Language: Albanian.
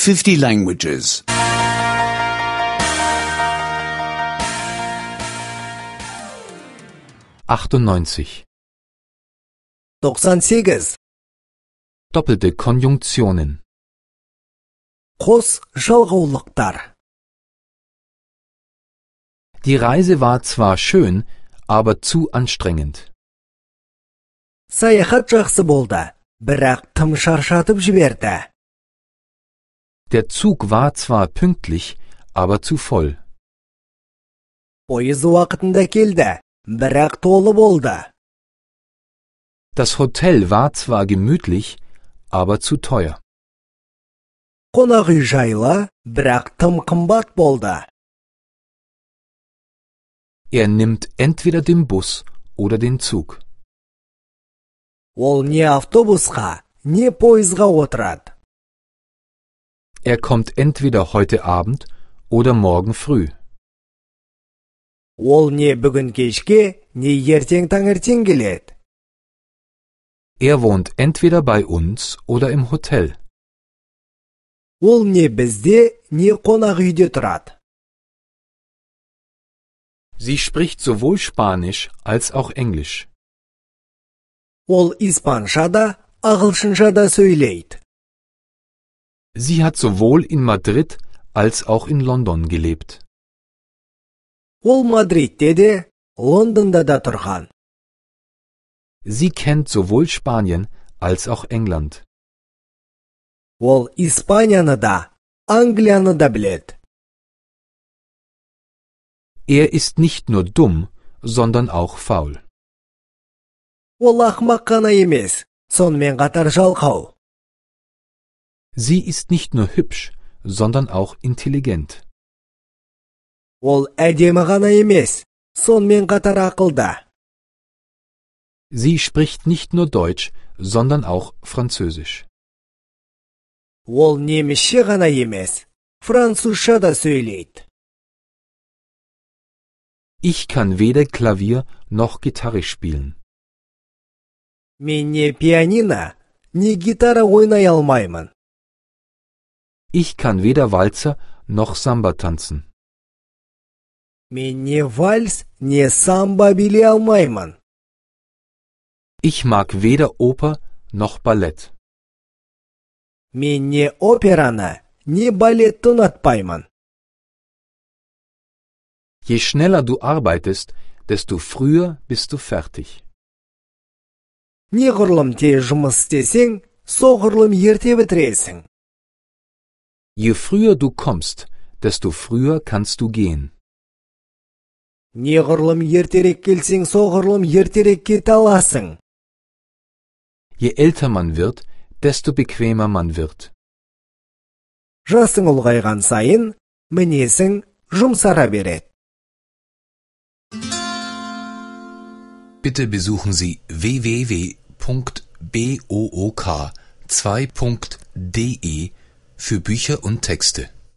50 languages. 98. 98. Doppelte Konjunktionen. Қос жалғаулықтар. Die Reise war zwar schön, aber zu anstrengend. Саяхат жақсы болды, бірақ тым шаршатып жіберді. Der Zug war zwar pünktlich, aber zu voll. Пойыз уақытында келді, бірақ толы болды. Das Hotel war zwar gemütlich, aber zu teuer. Қонақ үй жайлы, бірақ тым қымбат болды. Er nimmt entweder den Bus oder den Zug. Ол не автобусқа, не пойызға отырады. Er kommt entweder heute Abend oder morgen früh. Ол не бүгін кешке, не ертең таңертең келеді. Er wohnt entweder bei uns oder im Hotel. Ол не бізде, не қонақ үйде тұрады. Sie spricht sowohl Spanisch als auch Englisch. Ол испанша да, ағылшынша да сөйлейді. Sie hat sowohl in Madrid als auch in London gelebt. Ол Мадридте де, Лондонда да тұрған. Sie kennt sowohl Spanien als auch England. Ол Испанияны да, Англияны да біледі. Er ist nicht nur dumm, sondern auch faul. Ол ақымақ қана емес, сонымен қатар жалқау. Sie ist nicht nur hübsch, sondern auch intelligent. Ол әдемі ғана емес, сонымен қатар ақылды. Sie spricht nicht nur Deutsch, sondern auch Französisch. Ол немісше ғана емес, французша да сөйлейді. Ich kann weder Klavier noch Gitarre spielen. Мен не пианино, не гитара ойнай алмаймын. Ich kann weder Walzer noch Samba tanzen. Мен не вальс, не самба билей алмаймын. Ich mag weder Oper noch Ballett. Мен не операны, не балетті ұнатпаймын. Je schneller du arbeitest, desto früher bist du fertig. Неғұрлым тез жұмыс істесең, соғұрлым ерте бітіресің. Je früher du kommst, desto früher kannst du gehen. Неғұрлым ертерек келсең, соғұрлым ертерек кете аласың. Je älter man wird, desto bequemer man wird. Жасың ұлғайған сайын, мінезің жұмсара береді. Bitte besuchen Sie www.book2.de für Bücher und Texte.